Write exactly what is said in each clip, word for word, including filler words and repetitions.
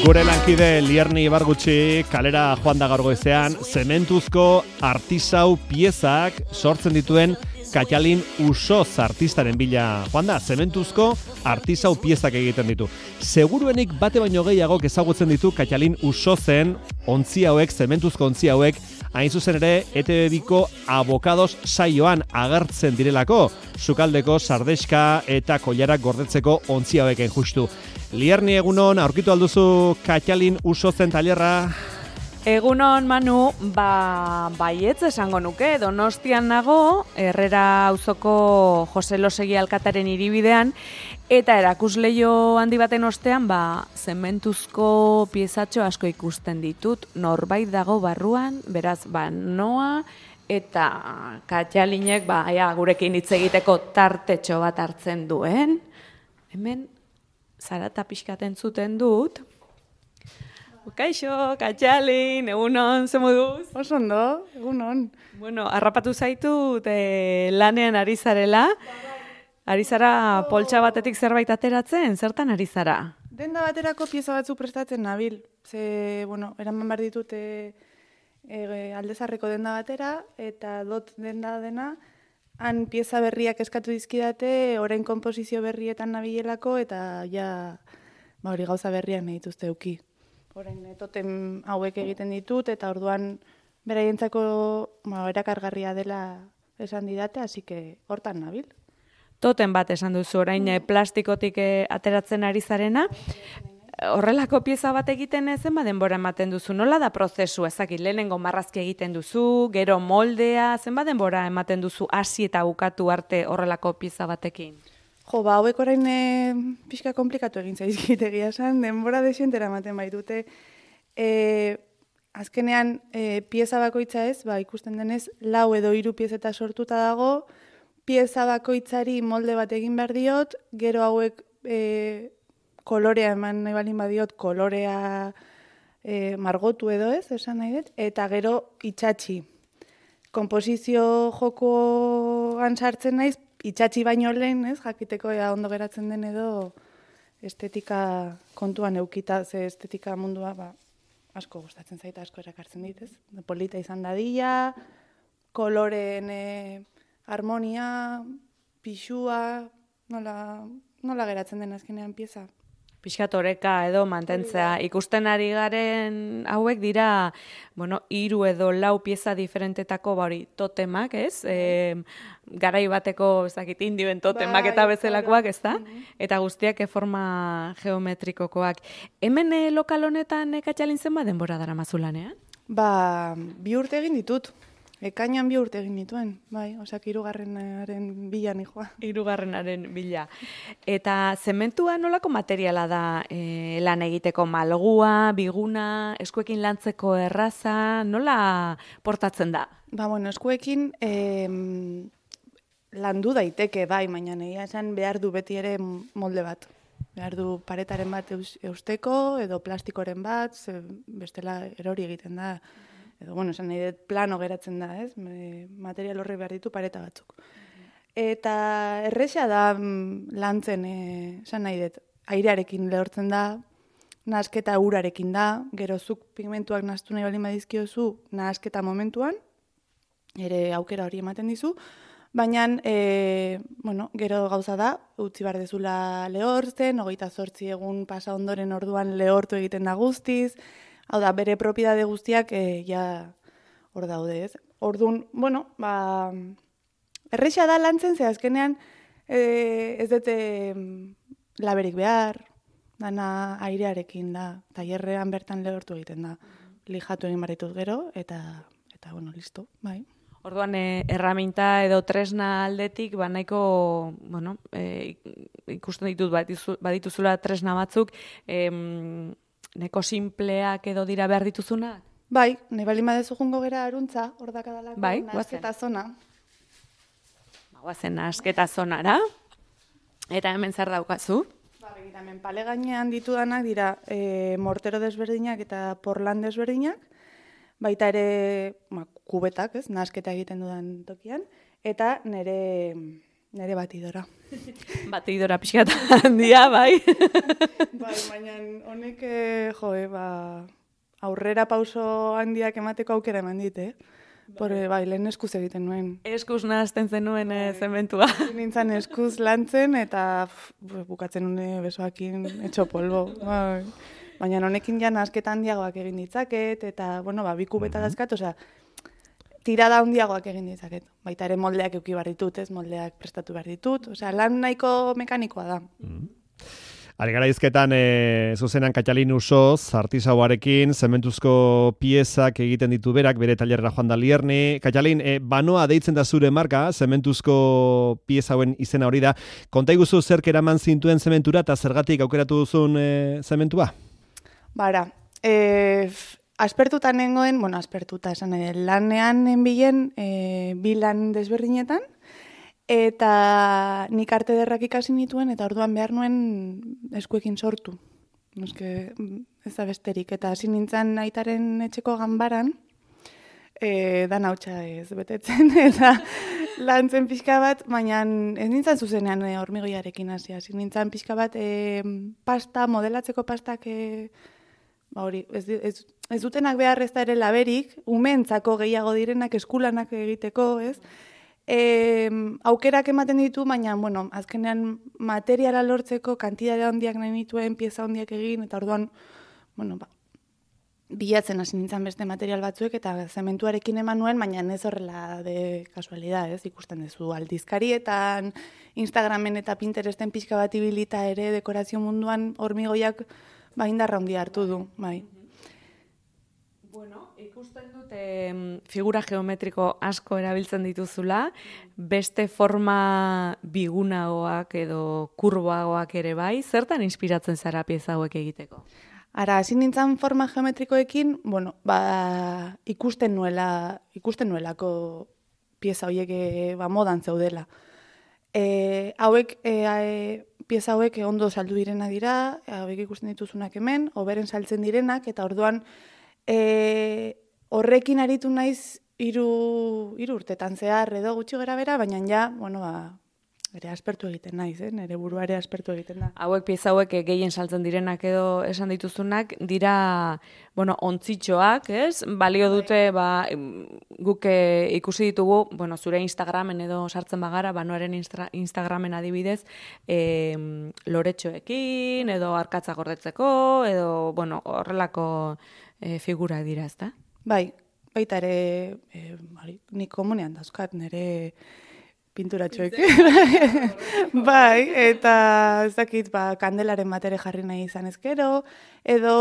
Gure lankide Lierni Ibargutxi kalera joan da gaur goizean, zementuzko artisau piezak sortzen dituen Katalin Usoz artistaren bila joan da, zementuzko artisau piezak egiten ditu. Seguruenik bate baino gehiagok ezagutzen ditu Katalin Usozen ontzi hauek, zementuzko ontzi hauek, hain zuzen ere E T B biko Abokados saioan agertzen direlako, sukaldeko sardeska eta koilarak gordetzeko ontzi haueken justu. Lierni, egunon, aurkitu alduzu Katalin Usozen tailerra? Egunon, Manu, ba, baietz esango nuke, Donostian nago, Herrera auzoko Jose Losegi alkataren hiribidean, eta erakusleio handi baten ostean, ba, zementuzko piezatxo asko ikusten ditut, norbait dago barruan, beraz, ba, noa, eta Katalinek, ba, ja, gurekin hitz egiteko tartetxo bat hartzen duen. Hemen, zarata pixkaten zuten dut. Kaixo, Katalin, egunon, ze moduz? Oso ondo, egunon. Bueno, harrapatu zaitut eh, lanean ari zarela. Ari zara poltsa batetik zerbait ateratzen, zertan ari zara? Denda baterako pieza batzu prestatzen nabil. Ze, bueno, eraman behar ditut e, e, aldezarreko denda batera, eta dot denda dena, han pieza berriak eskatu dizkidate, orain konposizio berrietan nabilelako, eta ja, ba hori gauza berriak nahi dituzte euki. Orain totem hauek egiten ditut, eta orduan beraientzako ba, erakargarria dela esan didate, hasi que hortan nabil. Totem bat esan duzu, orain eh, plastikotik eh, ateratzen ari zarena. Horrelako pieza bat egiten zen, ba denbora ematen duzu. Nola da prozesu, ezakit, lehenengo marrazki egiten duzu, gero moldea, zenba denbora ematen duzu hasi eta bukatu arte horrelako pieza batekin? Jo, ba, hauek orain e, pixka komplikatu egin zaizkit egia esan, denbora desientera ematen baitute. E, azkenean, e, pieza bakoitza ez, ba, ikusten denez, lau edo hiru piezeta sortuta dago, pieza bakoitzari molde bat egin behar diot, gero hauek e, kolorea eman nahi balin badiot, kolorea e, margotu edo ez, esan nahi dut, eta gero itxatxi. Komposizio jokoan sartzen naiz, itxatxi baino lehen, ez, jakiteko ea ondo geratzen den edo estetika kontuan eukita, ze estetika mundua, ba, asko gustatzen zaita, asko erakartzen dit, ez? Polita izan dadila, koloreen e, harmonia, pixua, nola, nola geratzen den azkenean pieza. Pixkat oreka edo mantentzea. Ikusten ari garen hauek dira, bueno, hiru edo lau pieza diferentetako ba hori totemak, ez? E, garai bateko, ez dakit, indioen totemak eta bezalakoak, ez da? Eta guztiak forma geometrikokoak. Hemen e, lokal honetan e, Katalin zenba denbora dara mazulanean? Ba, bi urte egin ditut. Ekainan bi urte egin dituen, bai, osak hirugarrenaren bila nijoa. Hirugarrenaren bila. Eta zementua nolako materiala da e, lan egiteko, malgua, biguna, eskuekin lantzeko erraza, nola portatzen da? Ba, bueno, eskuekin eh, landu daiteke, bai, baina egia esan behar du beti ere molde bat. Behar du paretaren bat eusteko edo plastikoren bat, ze bestela erori egiten da. Edo, bueno, esan nahi dut plano geratzen da, ez? Material horri behar ditu pareta batzuk. Eta erresa da lantzen, esan nahi dut, airearekin lehortzen da, nahasketa urarekin da, gero zuk pigmentuak nahaztu nahi balin badizkiozu nahasketa momentuan, ere aukera hori ematen dizu, baina, e, bueno, gero gauza da, utzi behar dezula lehortzen, hogeita zortzi egun pasa ondoren orduan lehortu egiten da guztiz. Hau da, bere propiedade guztiak e, ja hor daude, ez? Orduan, bueno, ba, erresa da lantzen, ze azkenean e, ez dute laberik behar, dana airearekin da, tailerrean bertan lehortu egiten da, lijatu egin baritut gero, eta, eta bueno, listo, bai. Orduan, e, erraminta edo tresna aldetik, ba nahiko, bueno, e, ikusten ditut badituzula tresna batzuk, e, neko simpleak edo dira behar dituzuna? Bai, nahi bali madezu jungo gera aruntza, hor dakadalako, bai, nahasketa zona. Ba, guazen nahasketa zonara. Eta hemen zer daukazu? Ba, begira, hemen pale gainean ditudanak dira e, mortero desberdinak eta porlan desberdinak, baita ere ma, kubetak, ez, nahasketa egiten dudan tokian, eta nire... Nere batidora. Batidora pixkat handia, bai. Bai, baina honek, eh, jo, eh, ba, aurrera pauso handiak emateko aukera eman dit, eh? Porre, bai, lehen eskuz egiten nuen. Eskuz nahazten zenuen e, zementua. Nintzen eskuz lantzen eta pff, bukatzen nune besoakin etxo polbo. Bai. Baina honekin ja nahazketa handiagoak egin ditzaket, eta, bueno, ba, bi kubeta dazkat, osea, tirada handiagoak egin ditzaket. Baita ere moldeak euki behar ditut, ez, moldeak prestatu behar ditut, osea, lan nahiko mekanikoa da. Mm. Ari gara izketan, e, zuzenan Katalin Usoz, artisauarekin, zementuzko piezak egiten ditu berak, bere tailerra joan da Lierni. Katalin, e, banoa deitzen da zure marka, zementuzko pieza hauen izena hori da. Konta iguzu zerk eraman zintuen zementura eta zergatik aukeratu duzun e, zementua? Bara, e, aspertuta nengoen, bueno, aspertuta esan ere, lanean enbilen e, bi lan desberdinetan, eta nik arte derrak ikasi nituen, eta orduan behar nuen eskuekin sortu. Eske, ez da besterik. Eta hasi nintzen aitaren etxeko ganbaran, e, dan hautsa ez betetzen, eta lantzen pixka bat, baina ez nintzen zuzenean e, hormigoiarekin hasi. Hasi nintzen pixka bat e, pasta, modelatzeko pastak, e, ba hori, ez, ez, ez dutenak behar ez da ere laberik, umeentzako gehiago direnak eskulanak egiteko, ez? E, aukerak ematen ditu, baina, bueno, azkenean materiala lortzeko kantidade handiak nahi nituen, pieza handiak egin, eta orduan, bueno, ba, bilatzen hasi nintzen beste material batzuek, eta zementuarekin eman nuen, baina ez horrela de kasualidad, ez, ikusten duzu aldizkarietan, Instagramen eta Pinteresten pixka bat ibilita ere dekorazio munduan hormigoiak ba indarra handia hartu du, bai. Bueno, ikusten dute figura geometriko asko erabiltzen dituzula, beste forma bigunagoak edo kurboagoak ere bai, zertan inspiratzen zara pieza hauek egiteko? Ara, hasi nintzen forma geometrikoekin, bueno, ba, ikusten nuela, ikusten nuelako pieza horiek e, ba, modan zeudela. E, hauek, e, e, pieza hauek ondo saldu direna dira, hauek ikusten dituzunak hemen, oberen saltzen direnak, eta orduan, E, horrekin aritu naiz hiru hiru urtetan zehar edo gutxi gera bera, baina ja, bueno, ba, ere aspertu egiten naiz, eh? Nere burua ere aspertu egiten da. Hauek pieza hauek gehien saltzen direnak edo esan dituzunak, dira, bueno, ontzitxoak, ez? Balio dute, ba, guk ikusi ditugu, bueno, zure Instagramen edo sartzen bagara, banoaren Instagramen adibidez, e, loretxoekin, edo arkatza gordetzeko, edo, bueno, horrelako E, figura dira, ez da? Bai, baita ere, e, bari, nik komunean dauzkat, nire pinturatxoek. Bai, eta ez dakit, ba, kandelaren bat ere jarri nahi izan ezkero, edo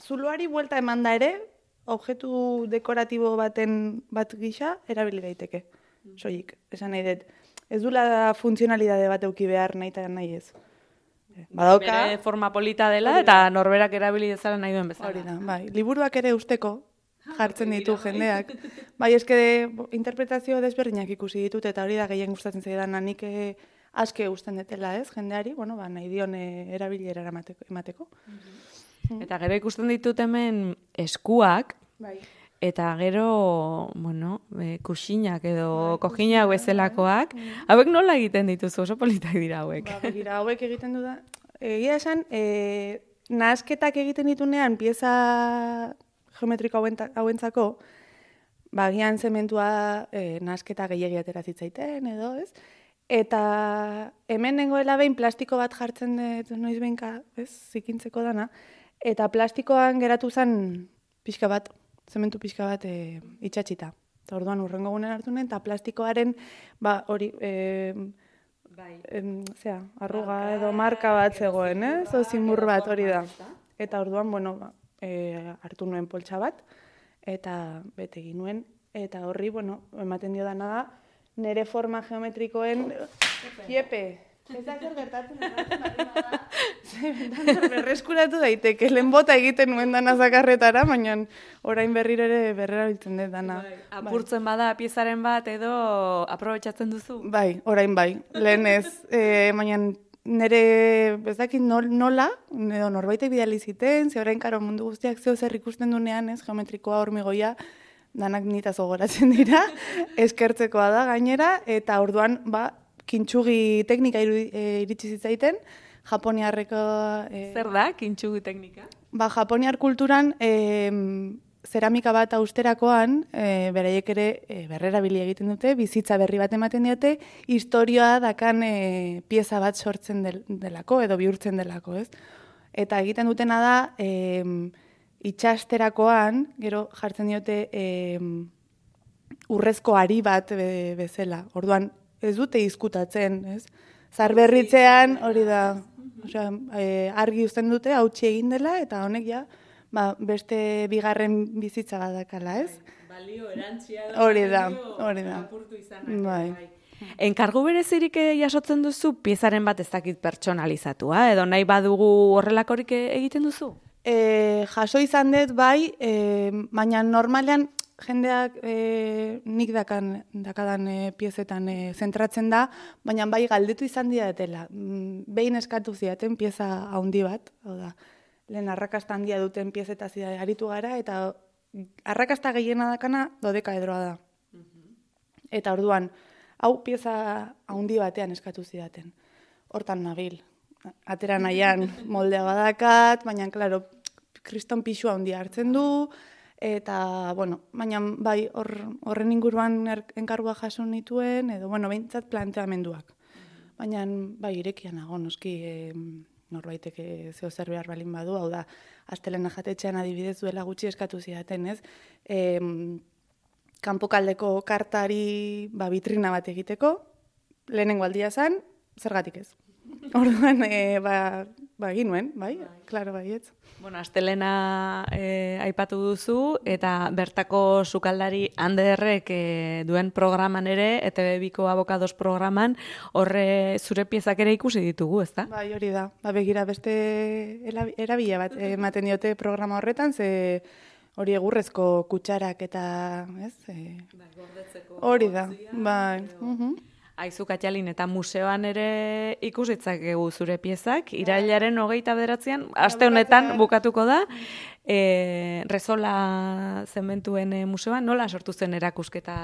zuloari buelta eman da ere, objektu dekoratibo baten bat gisa, erabili daiteke, soilik. Esan nahi dut, ez dula funtzionalidade bat euki behar nahi eta nahi ez. Badauka, bere forma polita dela eta norberak erabili dezala nahi duen bezala. Hori da, bai. Liburuak ere usteko jartzen ditu jendeak. Bai, eske interpretazio desberdinak ikusi ditut eta hori da gehien gustatzen zaidana, nik aske usten detela, ez, jendeari, bueno, ba, nahi dion erabilera emateko. Eta gero ikusten ditut hemen eskuak, bai. Eta gero, bueno, e, kuxinak edo kojinak bezalakoak, hauek nola egiten dituzu, oso politak dira hauek? Ba, begira, hauek egiten du da. Egia esan, e, nahasketak egiten ditunean pieza geometriko hauentzako, bagian zementua e, nahasketa gehiagia atera zitzaiten edo, ez? Eta hemen nengoela behin plastiko bat jartzen dut noiz behinka, ez, zikintzeko dana, eta plastikoan geratu zen pixka bat, zementu pixka bat e, itxatxita. Eta orduan urrengo gunen hartu nuen, eta plastikoaren, ba, hori, e, bai. em, zera, arruga marka, edo marka bat zegoen, eh? Zo zimur bat hori da. Eta orduan, bueno, ba, e, hartu nuen poltsa bat, eta bete egin nuen, eta horri, bueno, ematen dio dana da, nire forma geometrikoen, Iepe, ez da zer gertatzen, berreskuratu daiteke, lehen bota egiten nuen dana zakarretara, baina orain berriro ere berrera biltzen dut dana. Bai. Apurtzen bada piezaren bat edo aprobetxatzen duzu? Bai, orain bai, lehen ez, e, baina nire ez dakit nola, edo norbaitek bidali ziten, ze orain karo mundu guztiak zeo zer ikusten dunean, ez, geometrikoa, hormigoia, danak nitaz gogoratzen dira, eskertzekoa da gainera, eta orduan, ba, kintsugi teknika iritsi zitzaiten, japoniarreko... E, Zer da, kintsugi teknika? Ba, japoniar kulturan, e, zeramika bat austerakoan, e, beraiek ere e, berrerabili egiten dute, bizitza berri bat ematen diote, historioa dakan e, pieza bat sortzen del, delako, edo bihurtzen delako, ez? Eta egiten dutena da, e, itxasterakoan, gero jartzen diote e, urrezko ari bat be, bezala. Orduan, ez dute izkutatzen, ez? Zarberritzean, hori da, osea, e, argi uzten dute, hautsi egin dela, eta honek ja, ba, beste bigarren bizitza badakala, ez? Balio erantzia da. Hori da, hori da. Bai. Enkargu berezirik jasotzen duzu, piezaren bat ez dakit pertsonalizatua, edo nahi badugu horrelakorik egiten duzu? E, jaso izan dut, bai, e, baina normalean jendeak e, nik dakan, dakadan e, piezetan e, zentratzen da, baina bai galdetu izan diatela. Behin eskatu ziaten pieza handi bat, hau da, lehen arrakasta handia duten piezetaz aritu gara, eta arrakasta gehiena dakana dodekaedroa da. Eta orduan, hau pieza handi batean eskatu zidaten. Hortan nabil. Atera nahian moldea badakat, baina, klaro, kriston pixua handia hartzen du, eta, bueno, baina bai hor, horren inguruan er, enkargua jaso nituen, edo, bueno, behintzat planteamenduak. Baina, bai, irekia nago, noski, e, norbaitek zeo zer behar balin badu, hau da, astelena jatetxean adibidez duela gutxi eskatu zidaten, ez? E, kanpokaldeko kartari ba, vitrina bat egiteko, lehenengo aldia zen, zergatik ez. Orduan, e, ba, ba ginuen, bai, klaro baietz. Bueno, astelena e, aipatu duzu, eta bertako sukaldari Anderrek e, duen programan ere, E T B biko Abokados programan, horre zure piezak ere ikusi ditugu, ezta? Bai, hori da. Ba, begira beste erabila bat ematen diote programa horretan, ze hori egurrezko kutsarak eta, ez? E, bai, gordetzeko. Hori da, bai. Uh-huh. Aizu Katxalin, eta museoan ere ikusitzakegu zure piezak, irailaren hogeita bederatzean, aste honetan bukatuko da, e, Rezola zementuen museoan, nola sortu zen erakusketa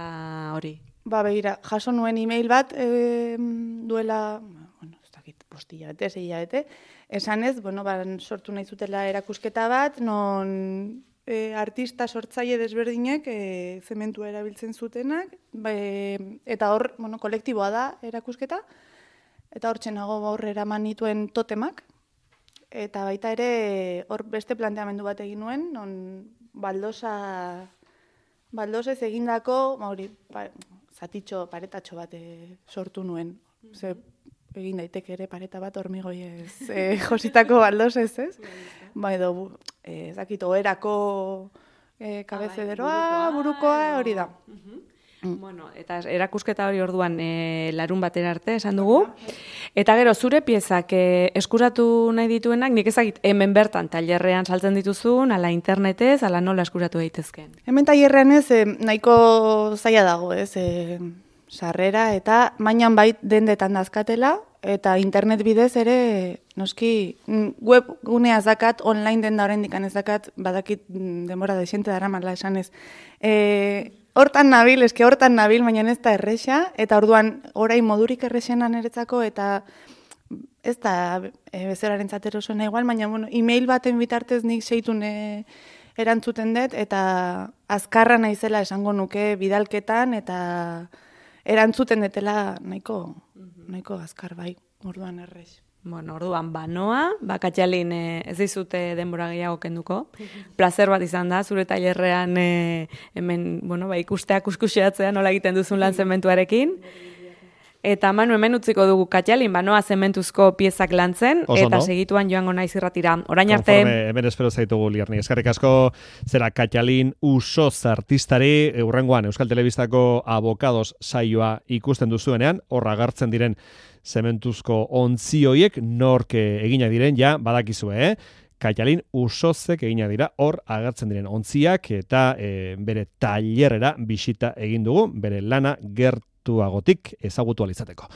hori? Ba, begira, jaso nuen e-mail bat e, duela, bueno, ez dakit, postilla bete, zeia bete, esan ez, bueno, ba, sortu nahi zutela erakusketa bat, non e, artista sortzaile desberdinek e, zementua erabiltzen zutenak, be, eta hor, bueno, kolektiboa da erakusketa, eta hor txenago hor eraman nituen totemak, eta baita ere hor beste planteamendu bat egin nuen, non baldosa, baldosez egindako, hori, ba, zatitxo, paretatxo bat e, sortu nuen, ze, egin daiteke ere pareta bat hormigoiez e, jositako baldosez, ez? Ba, edo, ez dakit, oherako e, kabezederoa, burukoa, hori da. Mm. Bueno, eta erakusketa hori orduan e, larun batera arte esan dugu. Eta gero, zure piezak e, eskuratu nahi dituenak, nik ezagit hemen bertan tailerrean saltzen dituzun, ala internetez, ala nola eskuratu daitezken? Hemen tailerrean ez, e, nahiko zaila dago, ez, e, sarrera, eta mainan bait dendetan dazkatela, eta internet bidez ere, noski, web gunea zakat, online denda oraindik ez dakat, badakit denbora desiente dara mala esan ez. E, hortan nabil, eske hortan nabil, baina ez da erresa, eta orduan orain modurik erresenan eretzako, eta ez da e, bezeraren zatero zuen igual, baina bueno, e-mail baten bitartez nik seitun e, erantzuten dut, eta azkarra naizela esango nuke bidalketan, eta erantzuten detela nahiko, nahiko azkar bai, orduan errez. Bueno, orduan banoa, Katxalin e, ez dizute denbora gehiago kenduko. Plazer bat izan da, zure tailerrean e, hemen, bueno, ba, ikustea kuskuxeatzea nola egiten duzun lan zementuarekin. Eta Manu, hemen utziko dugu Katxalin, banoa zementuzko piezak lantzen, Oso eta no? segituan joango naiz irratira. Orain arte... Konforme, hemen espero zaitugu, Liarni. Eskerrik asko, zera Katxalin Usoz artistari, urrengoan Euskal Telebistako Abokados saioa ikusten duzuenean, hor agertzen diren zementuzko ontzioiek nork egina diren, ja, badakizue, eh? Katxalin Usozek egina dira, hor agertzen diren ontziak, eta e, bere tailerrera bisita egin dugu, bere lana gertuagotik ezagutu alizateko.